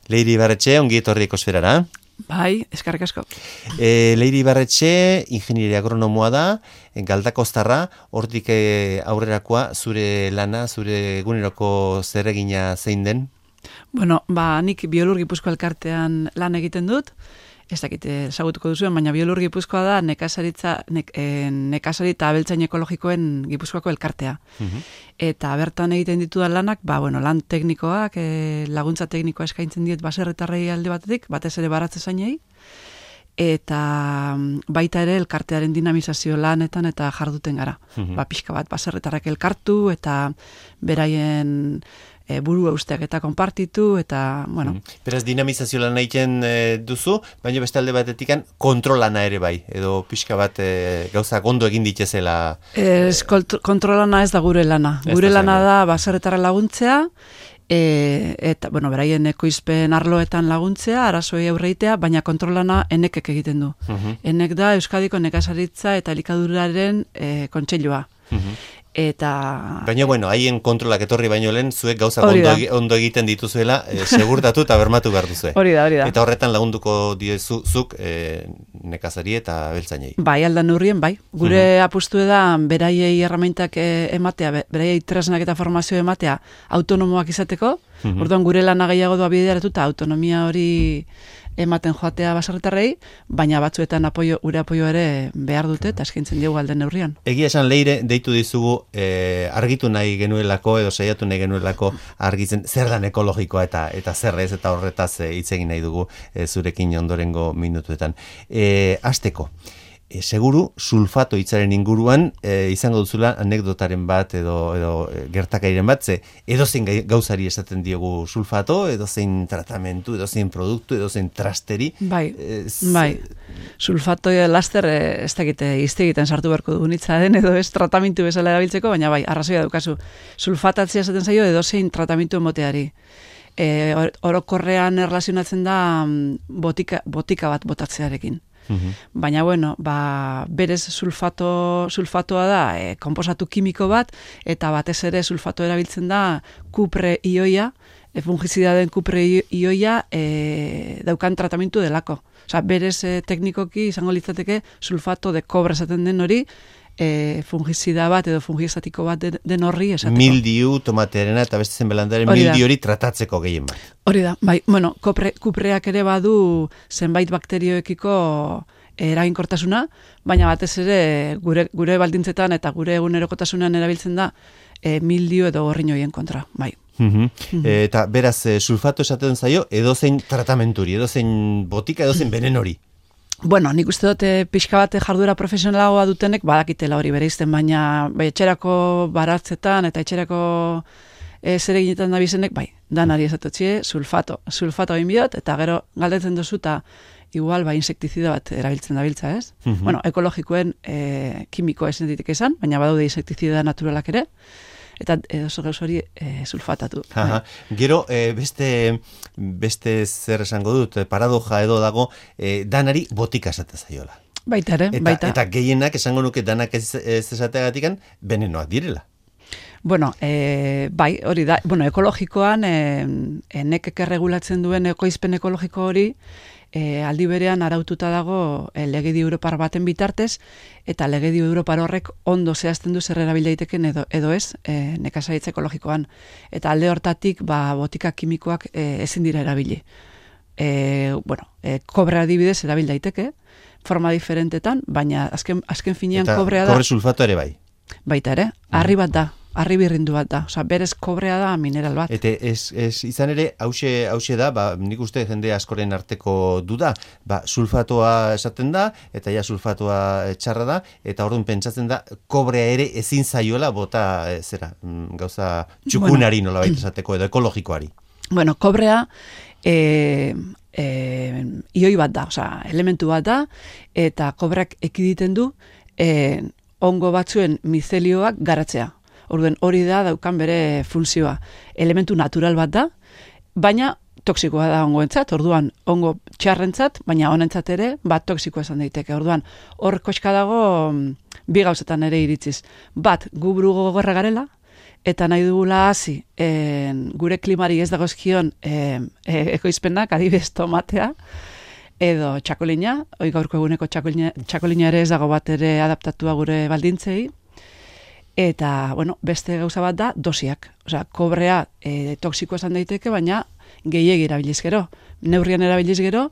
Leire Ibarretxe, ongi etorri Ekosferara. Bai, eskerrik asko. Leire Ibarretxe, ingenieri agronomoa da, Galdakoztarra, hortik aurrerakoa, zure lana, zure eguneroko zeregina zein den? Bueno, nik Biolur Gipuzkoa elkartean lan egiten dut, ez dakit ezagutuko duzuen, baina Biolur Gipuzkoa da nekazari eta abeltzain ekologikoen Gipuzkoako elkartea. Eta bertan egiten ditudan lanak, lan teknikoak, laguntza teknikoa eskaintzen diet baserritarrei alde batetik, batez ere baratze zainei, eta baita ere elkartearen dinamizazio lanetan eta jarduten gara. Pixka bat baserritarrak elkartu eta beraien burua usteak eta konpartitu, eta, Beraz, dinamizazio lan egiten duzu, baina beste alde batetikan kontrolana ere bai, edo pixka bat gauzak ondo egin ditezela. Kontrolana ez da gure lana. Gure lana da baserritarra laguntzea, eta, beraien ekoizpen arloetan laguntzea, arazoei aurreitea, baina kontrolana enekek egiten du. Enek da Euskadiko nekazaritza eta elikaduraren kontseilua. Baina, haien kontrolak etorri baino lehen, zuek gauzak ondo egiten dituzuela, segurtatu eta bermatu behar duzu. Hori da. Eta horretan lagunduko diezuzuk nekazari eta beltzainei. Bai, aldan neurrien, bai. Gure apustu da, beraiei erramentak ematea, beraiei tresnak eta formazio ematea, autonomoak izateko. Orduan, gure lana gehiago doa bideratu eta autonomia hori ematen joatea baserritarrei, baina batzuetan gure apoio ere behar dute eta eskaintzen diogu alden neurrian. Egia esan, Leire, deitu dizugu argitu nahi genuelako edo saiatu nahi genuelako argitzen zer dan ekologikoa eta zer ez, eta horretaz hitz egin nahi dugu zurekin ondorengo minutuetan. Hasteko, seguru sulfato hitzaren inguruan izango duzula anekdotaren bat edo gertakairen bat, edozein gauzari esaten diogu sulfato, edozein tratamentu, edozein produktu, edozein trasteri. Bai. Sulfato laster ez dakite izte egiten sartu beharko dugun hitza den, edo ez tratamentu bezala erabiltzeko, baina bai, arrazoia daukazu. Sulfatatzea esaten zaio edozein tratamentu emoteari. Orokorrean erlazionatzen da botika bat botatzearekin. Baina, berez sulfatoa da konposatu kimiko bat, eta batez ere sulfato erabiltzen da kupre ioia, fungizidaden kupre ioia daukan tratamentu delako. Osa, berez teknikoki izango litzateke sulfato de kobre esaten den hori, fungizida bat edo fungistatiko bat den horri esateko. Mildiu, tomatearena eta beste zen belandaren mildiu hori tratatzeko gehien bat. Hori da, bai, kupreak ere badu zenbait bakterioekiko eraginkortasuna, baina batez ere gure baldintzetan eta gure egunerokotasunean erabiltzen da mildiu edo gorrinoien kontra, bai. Eta beraz, sulfato esaten zaio edozein tratamenturi, edozein botika, edozein venenori. Nik uste dut pixka bat jarduera profesionalagoa dutenek badakitela hori bereizten, baina etxerako baratzetan eta etxerako zereginetan dabizenek, danari esatotxie, sulfato egin biot, eta gero galdetzen duzu eta igual insektizida bat erabiltzen dabiltza, ez? Ekologikoen kimikoa esan ditek esan, baina badaude insektizida naturalak ere, eta oso gauz hori sulfatatu. Gero, beste zer esango dut, paradoja edo dago, danari botika esaten zaiola. Baita ere, baita. Eta gehienak esango nuke danak ez esateagatik venenoak direla. Bai, hori da. Ekologikoan, nekek erregulatzen duen ekoizpen ekologiko hori, aldi berean araututa dago legedi Europar baten bitartez, eta legedi Europar horrek ondo zehazten du zer erabil daiteken edo ez nekazaritza ekologikoan. Eta alde hortatik botika kimikoak ezin dira erabili. Kobrea adibidez erabil daiteke, forma diferentetan, baina azken finean kobrea da. Eta kobre sulfato ere bai? Baita ere, harri bat da. Harri birrindu bat da, berez kobrea da mineral bat. Eta izan ere, hause da, nik uste jende askoren arteko duda, sulfatoa esaten da, eta sulfatoa txarra da, eta orduan pentsatzen da, kobrea ere ezin zaiola bota, gauza txukunari nola baita esateko, edo ekologikoari. Kobrea ioi bat da, elementu bat da, eta kobreak ekiditen du ongo batzuen mizelioak garatzea. Orduan hori da daukan bere funtzioa. Elementu natural bat da, baina toksikoa da ongoentzat, orduan ongo txarrentzat, baina honentzat ere toksikoa esan daiteke. Orduan hor koska dago bi gauzetan ere iritziz. Bat, gu buru gogorra garela, eta nahi dugula hasi gure klimari ez dagozkion ekoizpenak, adibidez tomatea, edo txakolina, gaurko eguneko txakolina ere ez dago bat ere adaptatua gure baldintzei, eta, bueno, beste gauza bat da dosiak. Osea, kobrea toksikoa esan daiteke, baina gehiegi erabiliz gero. Neurrian erabiliz gero,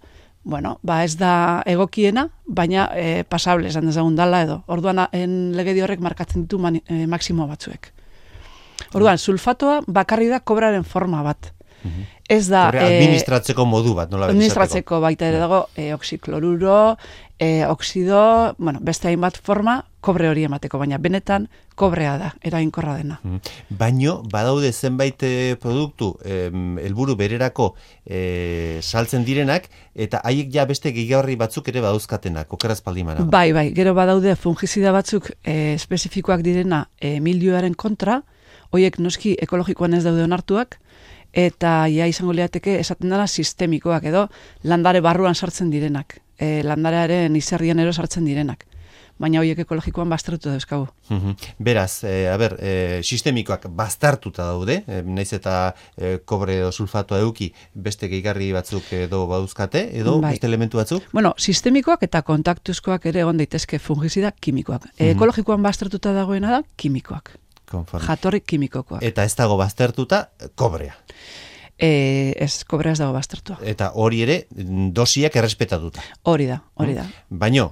bueno, ez da egokiena, baina pasable esan dezagun dala edo. Orduan, legedi horrek markatzen ditu maksimo batzuek. Orduan, sulfatoa bakarri da kobraren forma bat. Ez da... administratzeko modu bat, nola administratzeko baita ere dago, oxikloruro, oxido, bueno, beste hainbat forma, kobre hori emateko, baina benetan kobrea da, eraginkorra dena. Baino, badaude zenbait produktu, helburu bererako saltzen direnak, eta haiek ja beste gehiagarri batzuk ere badauzkatenak, okeraz paldimana. Bai, gero badaude fungizida batzuk espezifikoak direna milioaren kontra, hoiek noski ekologikoan ez daude onartuak, eta izango liateke esaten dela sistemikoak edo landare barruan sartzen direnak, landarearen izerrian ero sartzen direnak. Baina horiek ekologikoan baztertuta dauzkagu. Beraz, sistemikoak baztertuta daude, naiz eta kobre edo sulfatoa eduki beste gehigarri batzuk edo badauzkate, edo beste elementu batzuk? Bueno, sistemikoak eta kontaktuzkoak ere egon daitezke fungizida kimikoak. Ekologikoan baztertuta dagoena da kimikoak. Jatorri kimikokoak. Eta ez dago baztertuta kobrea. Ez, kobrea ez dago baztertua. Eta hori ere dosiak errespetatuta. Hori da. Baino,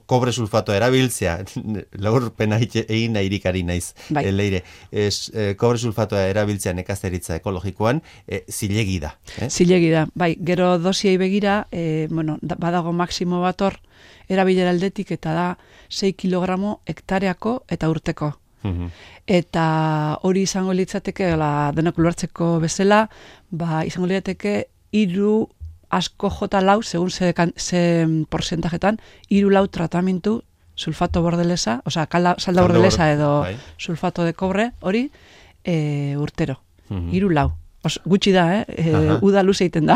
kobre sulfatoa erabiltzea, laurpena egin nahirikari naiz, leire, kobre sulfatoa erabiltzea nekazaritza ekologikoan, zilegi da. Zilegi da, bai, gero dosiei begira, badago maksimo bat hor, erabilera aldetik eta da 6 kilogramo hektareako eta urteko. Eta hori izango litzateke, denok ulertzeko bezala, izango litzateke 3 asko jota lau, segun ze porcentajetan, 3 lau tratamentu sulfato bordelesa, osea, salda bordelesa edo sulfato de cobre, hori urtero. 3 lau. Gutxi da, uda luze egiten da.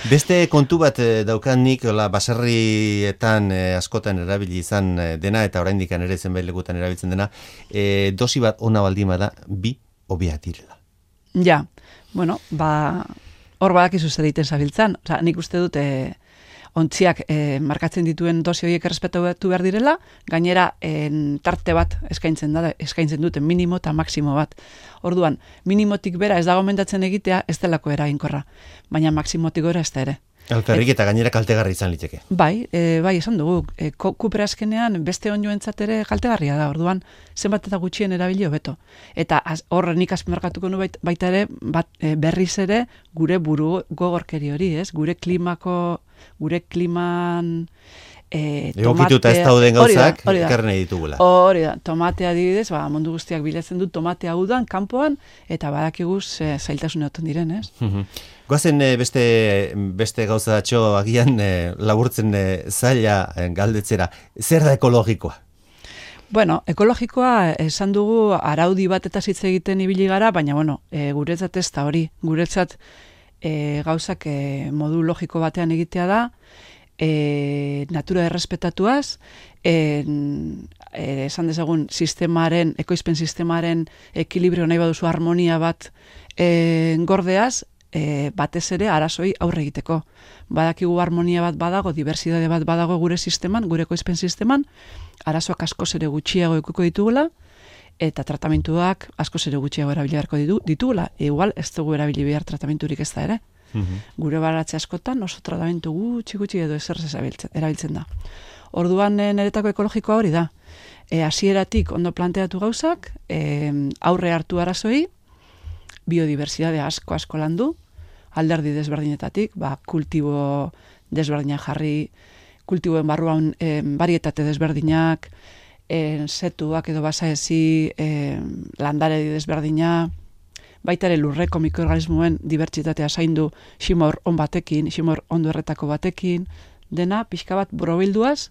Beste kontu bat daukanik, baserrietan askotan erabili izan dena, eta oraindik ere zenbait lekutan erabiltzen dena, dosi bat ona baldin bada, 2 hobeak direla. Ja, bueno, hor badakizu zer egiten zabiltzan. Osea, nik uste dut ontziak markatzen dituen dosi horiek errespetatu behar direla, gainera tarte bat eskaintzen duten minimo eta maksimo bat. Orduan, minimotik bera ez da gomendatzen egitea ez delako eraginkorra, baina maksimotik gora ez da ere. Alferrik eta gainera kaltegarri izan liteke. Bai, esan dugu, kupera azkenean beste onjoentzat ere kaltegarria da, orduan zenbat eta gutxien erabili hobeto. Eta hor nik azpimarratuko nu baita ere, berriz ere gure buru gogorkeri hori, ez? Gure kliman egokituta ez dauden gauzak ekarren ditugula. Hori da, tomatea adibidez, mundu guztiak bilatzen du tomatea udan, kanpoan, eta badakiguz zailtasun egoten diren, ez? Goazen beste gauza datxo agian laburtzen zaila galdetzera. Zer da ekologikoa? Bueno, ekologikoa esan dugu araudi bat eta hitz egiten ibili gara, baina guretzat ez da hori. Guretzat gauzak modu logiko batean egitea da, natura errespetatuaz, esan dezagun ekoizpen sistemaren ekilibrio nahi baduzu harmonia bat gordeaz, batez ere arazoi aurre egiteko. Badakigu harmonia bat badago, diversitate bat badago gure sisteman, gure ekoizpen sisteman, arazoak askoz ere gutxiago edukiko ditugula, eta tratamentuak askoz ere gutxiago erabili beharko ditugula. Igual ez dugu erabili behar tratamenturik ez da ere. Gure baratze askotan oso tratamentu gutxi edo ezer erabiltzen da. Orduan niretako ekologikoa hori da. Hasieratik ondo planteatu gauzak, aurre hartu arazoi, biodibertsitate asko landu, alderdi desberdinetatik, kultibo desberdinak jarri, kultiboen barruan barietate desberdinak, setuak edo basaezi, landare desberdina, baita ere lurreko mikroorganismoen dibertsitatea zaindu ximor on batekin, ximor ondo erretako batekin, dena pixka bat borobilduaz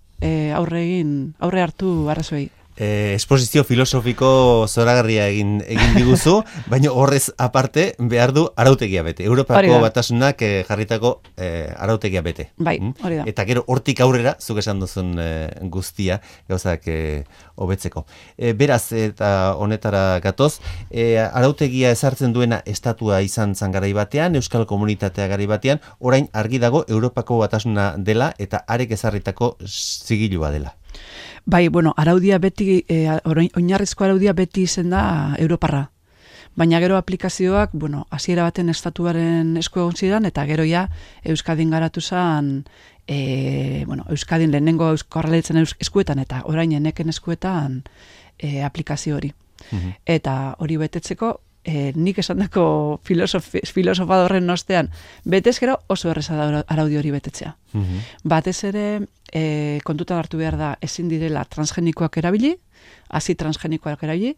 aurre hartu arazoei. Esposizio filosofiko zoragarria egin diguzu, baina horrez aparte behar du arautegia bete. Europako batasunak jarritako arautegia bete. Bai, hori da. Eta gero hortik aurrera, zuk esan duzun guztia, gauzak hobetzeko. Beraz, eta honetara gatoz, arautegia ezartzen duena estatua izan zan garai batean, Euskal Komunitatea garai batean, orain argi dago Europako batasuna dela eta arek ezarritako zigilua dela. Bai, bueno, araudia beti, oinarrizko araudia beti izen da Europarra. Baina gero aplikazioak, bueno, hasiera baten estatuaren esku egon zidan, eta gero ja Euskadin garatu zen, Euskadin lehenengo Jaurlaritzaren eskuetan, eta orain eneken eskuetan aplikazio hori. Eta hori betetzeko, nik esandako filosofa horren ostean, betez gero oso erreza da araudi hori betetzea. Batez ere, kontutan hartu behar da ezin direla transgenikoak erabili, hasi transgenikoak erabili,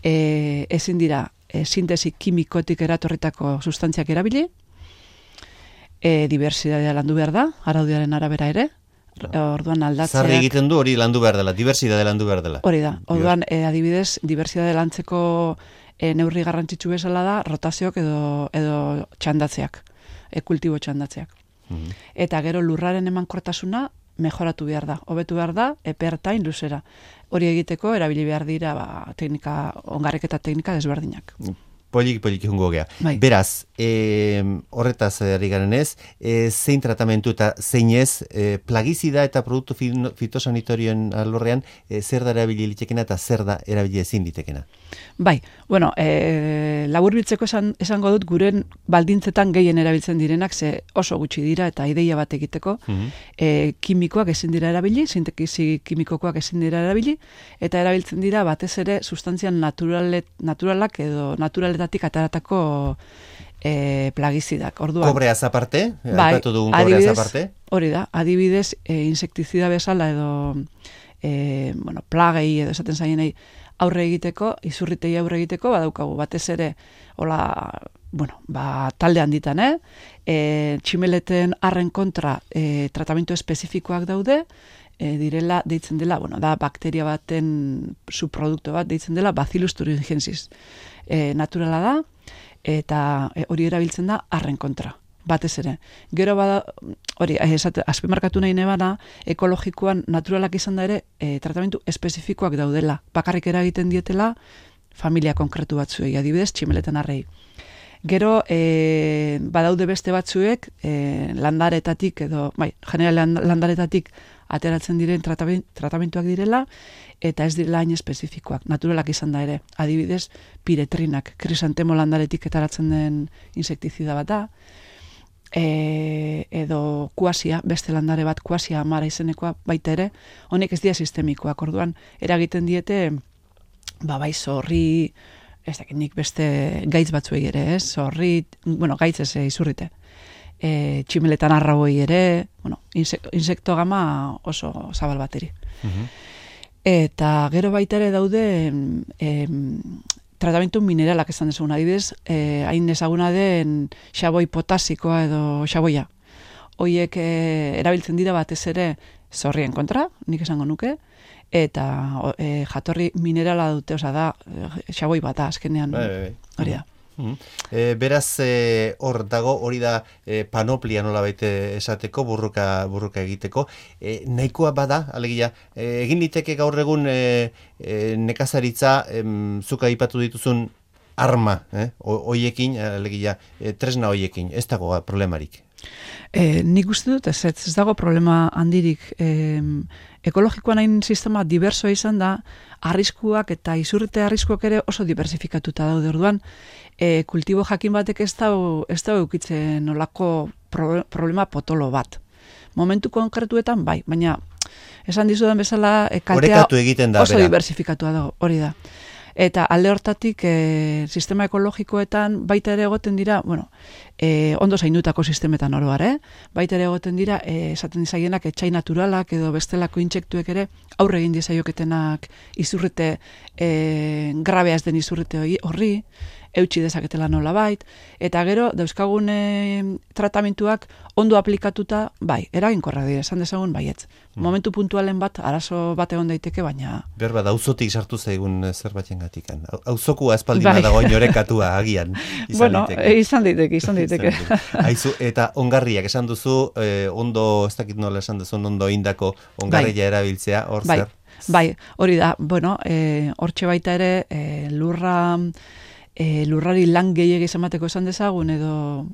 ezin dira sintesi kimikotik eratorritako sustantziak erabili, diversitatea landu behar da, araudiaren arabera ere, orduan aldatzeak... Zarri egiten du hori landu behar dela, diversitatea landu behar dela. Hori da, orduan adibidez, diversitatea lantzeko neurri garrantzitsu bezala da rotazioak edo txandatzeak, kultibo txandatzeak. Eta gero lurraren emankortasuna mejoratu behar da, hobetu behar da, epertain luzera. Hori egiteko erabili behar dira teknika, ongarreketa teknika desberdinak. Polik jungo gea. Bai. Beraz, horretaz ari garen ez, zein tratamentu eta zein ez, plagizida eta produktu fitosanitorioen alorrean, zer da erabili litekena eta zer da erabili ezin litekena? Bai, bueno, laburbiltzeko esango dut guren baldintzetan gehien erabiltzen direnak, ze oso gutxi dira eta ideia bat egiteko, kimikoak ezin dira erabili, sintesi kimikokoak ezin dira erabili, eta erabiltzen dira batez ere sustantzian naturalak edo naturaletatik ataratako plagizidak. Orduan, Kobreaz aparte? Bai, aipatu dugun kobreaz aparte? Hori da, adibidez, insektizida bezala edo plagei edo esaten zaienei aurre egiteko, izurritei aurre egiteko, badaukagu batez ere, talde handitan, tximeleten arren kontra tratamentu espezifikoak daude, deitzen dela, da bakteria baten subprodukto bat, deitzen dela Bacillus thuringiensis. Naturala da, eta hori erabiltzen da arren kontra, batez ere. Gero bada, hori, azpimarkatu nahi nebana, ekologikoan naturalak izan da ere, tratamentu espezifikoak daudela. Bakarrik eragiten dietela, familia konkretu batzuei, adibidez, tximeleten arrei. Gero, badaude beste batzuek, landaretatik edo, general landaretatik ateratzen diren tratamentuak direla, eta ez direla hain espezifikoak, naturalak izan da ere. Adibidez, piretrinak, krisantemo landaretik ateratzen den insektizida bat da, edo kuasia, beste landare bat kuasia amara izenekoa baita ere, honek ez dira sistemikoak, orduan eragiten diete, bai zorri, ez dakit nik beste gaitz batzuei ere, zorri, gaitz ez izurrite, tximeletan arrauei ere, insekto gama oso zabal bateri. Eta gero baita ere daude tratamentu mineralak esan desugun, adibidez, hain ezaguna den xaboi potasikoa edo xaboia. Hoiek erabiltzen dira batez ere zorrien kontra, nik esango nuke, eta jatorri minerala dute, da xaboi bata azkenean, hori da. Beraz, hor dago, hori da panoplia nola baite esateko, burruka egiteko. Nahikoa bada, alegia, egin liteke gaur egun nekazaritza, zuka aipatu dituzun arma, hoiekin, alegia, tresna hoiekin, ez dago problemarik. Nik uste dut, ez dago problema handirik. Ekologikoan hain sistema diversoa izan da, arriskuak eta izurrite arriskuak ere oso diversifikatuta daude. Orduan, kultibo jakin batek ez da eukitzen nolako problema potolo bat. Momentu konkretuetan bai, baina esan dizudan bezala kaltea oso diversifikatua dago, hori da. Eta alde hortatik sistema ekologikoetan baita ere egoten dira, ondo zaindutako sistemetan oroar, baita ere egoten dira, esaten dizaienak etxai naturalak edo bestelako intsektuek ere aurre egin diezaioketenak izurrite, grabea ez den izurrite horri, eutxi dezaketela nolabait, eta gero dauzkagun tratamentuak ondo aplikatuta, bai, eraginkorra dira, esan dezagun baietz. Momentu puntualen bat, arazo bat egon daiteke, baina... Berba, auzotik sartu zaigun zerbait gatikan. Auzokua espaldima dago oinorekatua agian. Bueno, izan daiteke. Aizu, eta ongarriak esan duzu, ondo, ez dakit nola esan duzu, ondo indako ongarria erabiltzea, hor zer? Bai, hori da, bueno, hortxe baita ere, lurrari lan gehiagiz emateko esan dezagun, edo,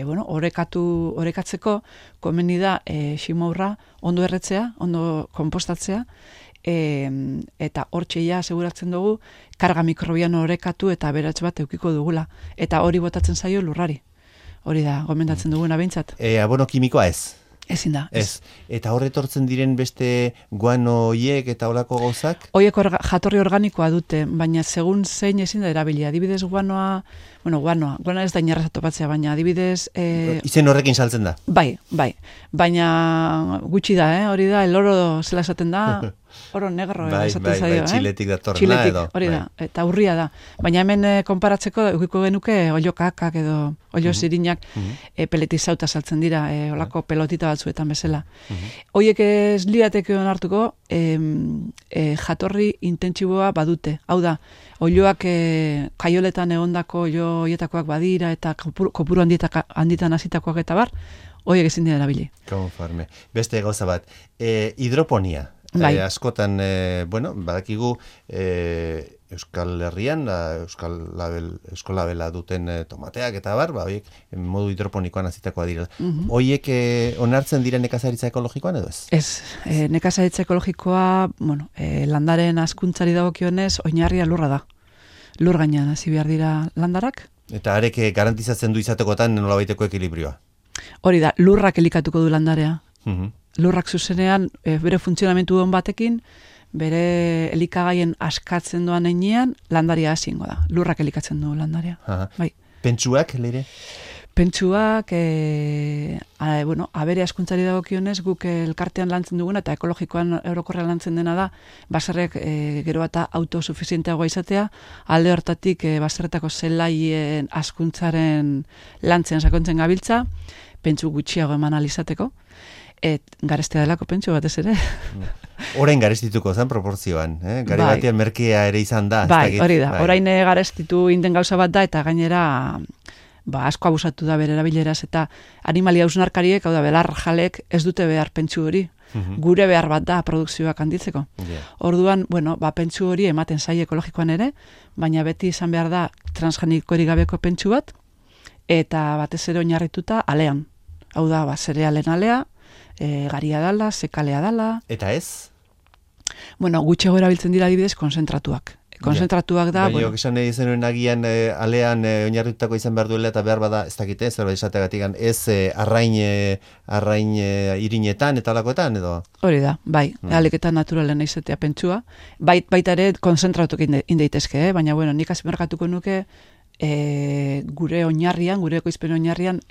bueno, orekatzeko, komeni da, ximourra ondo erretzea, ondo kompostatzea, eta hortxe ja seguratzen dugu, karga mikrobiano orekatu eta aberats bat eukiko dugula. Eta hori botatzen zaio lurrari. Hori da, gomendatzen duguna behintzat. Abono kimikoa ez? Ezin da. Ez. Eta horretortzen diren beste guano hiek eta olako gauzak? Hoiek jatorri organikoa dute, baina segun zein ezin da erabili. Adibidez guanoa ez da inerraza topatzea, baina adibidez... Izen horrekin saltzen da? Bai. Baina gutxi da, hori da, el oro zela esaten da, oro negro esaten zaio. Txiletik datorrena edo. Hori da, eta urria da. Baina hemen konparatzeko, eukiko genuke oilo kakak edo oilo zirinak peletizauta saltzen dira, olako pelotita batzuetan bezala. Hoiek ez lirateke onartuko, jatorri intentsiboa badute. Hau da, oiloak kaioletan egondako oilo hoietakoak badira eta kopuru handitan hasitakoak eta bar, horiek ezin dira erabili. Konforme. Beste gauza bat, hidroponia. Bai. Askotan, bueno, badakigu Euskal Herrian, Euskolabela duten tomateak eta bar, horiek modu hidroponikoan azitakoa dira. Horiek onartzen dira nekazaritza ekologikoan edo ez? Ez, nekazaritza ekologikoa, bueno, landaren hazkuntzari dagokionez, oinarria lurra da. Lur gainean hasi behar dira landarak. Eta arek garantizatzen du izatekotan nolabaiteko ekilibrioa? Hori da, lurrak elikatuko du landarea. Lurrak zuzenean, bere funtzionamentu on batekin, bere elikagaien askatzen doan heinean, landaria hasingo da. Lurrak elikatzen du landarea. Bai. Pentsuak, leire? Pentsuak, bueno, abere askuntzari dagokionez, guk elkartean lantzen duguna, eta ekologikoan orokorrean lantzen dena da, baserrek gero eta autosuficienteagoa izatea, alde hortatik baserretako zelaien askuntzaren lantzen sakontzen gabiltza, pentsu gutxiago eman alizateko, garestea delako pentsu batez ere. Orain garestituko zen proporzioan, gare batean merkea ere izan da. Bai, hori da, orain garestitu inden gauza bat da, eta gainera asko abusatu da bere erabileraz, eta animalia hausnarkariek, hau da, belar jalek ez dute behar pentsu hori, gure behar bat da produkzioak handitzeko. Orduan, bueno, pentsu hori ematen zai ekologikoan ere, baina beti izan behar da transgenikorik gabeko pentsu bat, eta batez ere oinarrituta alean. Hau da, zerealen alea, garia dala, sekalea dala. Eta ez? Bueno, gutxego erabiltzen dira adibidez konzentratuak. Konzentratuak da... Baina, esan nahi zenuen agian alean oinarritutako izan behar duela eta behar bada ez dakite, zerbait esategatik ez arrain irinetan eta alakoetan edo? Hori da, bai, aliketan naturalen izatea pentsua. Baita ere konzentratuak indeitezke, baina bueno, nik azpimarratuko nuke gure oinarrian, gure ekoizpen oinarrian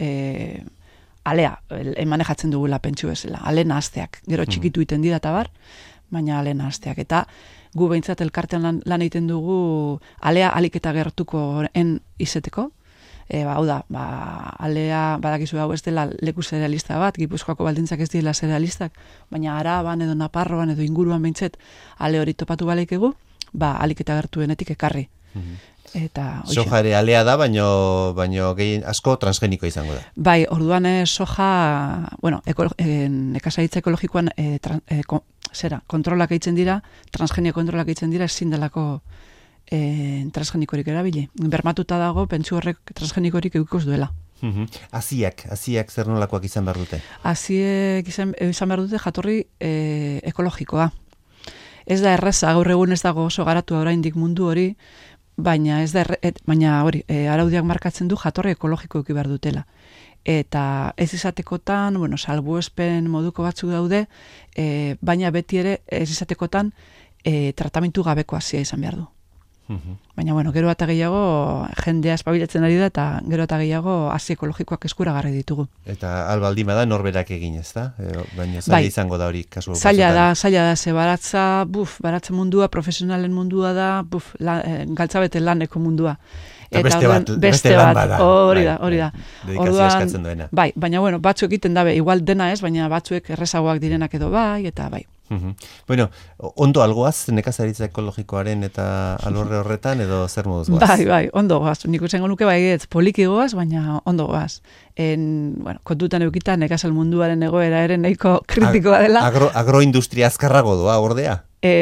alea manejatzen dugula pentsu bezala, ale nahazteak. Gero txikitu iten dira eta bar, baina ale nahazteak. Eta gu behintzat elkartean lan egiten dugu alea alik eta gertuko izeteko. Hau da, alea badakizu hau ez dela leku zerealista bat, Gipuzkoako baldintzak ez dira zerealistak, baina Araban edo Naparroan edo inguruan behintzat ale hori topatu balaikegu, alik eta gertuenetik ekarri. Soja ere alea da, baino gehien asko transgeniko izango da. Bai, orduan soja, bueno, nekazaritza ekologikoan kontrolak egiten dira, transgenio kontrolak egiten dira, ezin delako transgenikorik erabili. Bermatuta dago, pentsu horrek transgenikorik eukikoz duela. Aziak zer nolakoak izan behar dute? Aziek izan behar dute jatorri ekologikoa. Ez da erraza, gaur egun ez dago oso garatu oraindik mundu hori, baina hori, araudiak markatzen du jatorri ekologiko eki behar dutela. Eta ez izatekotan, bueno, salbuespen moduko batzuk daude, baina beti ere ez izatekotan tratamentu gabeko hasia izan behar du. Baina, bueno, gero eta gehiago jendea espabilatzen ari da, eta gero eta gehiago hasi ekologikoak eskuragarri ditugu. Eta albaldima da norberak egin, ez da? Baina zaila izango da hori kasu. Zaila da, ze baratza mundua, profesionalen mundua da, galtzabete laneko mundua. Eta beste lan bada. Hori da. Dedikazioa eskatzen duena. Bai, baina bueno, batzuk egiten dabe, igual dena ez, baina batzuek errezagoak direnak edo bai, eta bai. Bueno, ondo algoaz nekazaritza ekologikoaren eta alorre horretan edo zer moduz goaz? Bai, ondo goaz. Nik utzengo nuke bai ez poliki goaz, baina ondo goaz. Bueno, kontutan eukita nekazal munduaren egoera ere nahiko kritikoa dela. Agroindustria azkarrago doa, ordea?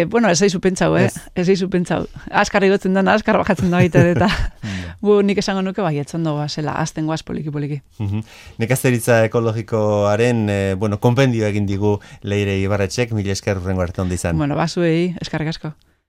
Bueno, ez eizu pentsau, Ez eizu pentsau. Azkar igotzen dena, azkar bajatzen da baita eta nik esango nuke bai, etzondo goazela, azten goaz poliki. Nekazaritza ekologikoaren, konpendio egin digu Leire Ibarretxek, mila esker urrengo arte ondo izan. Bueno, basuei, eskarrik asko.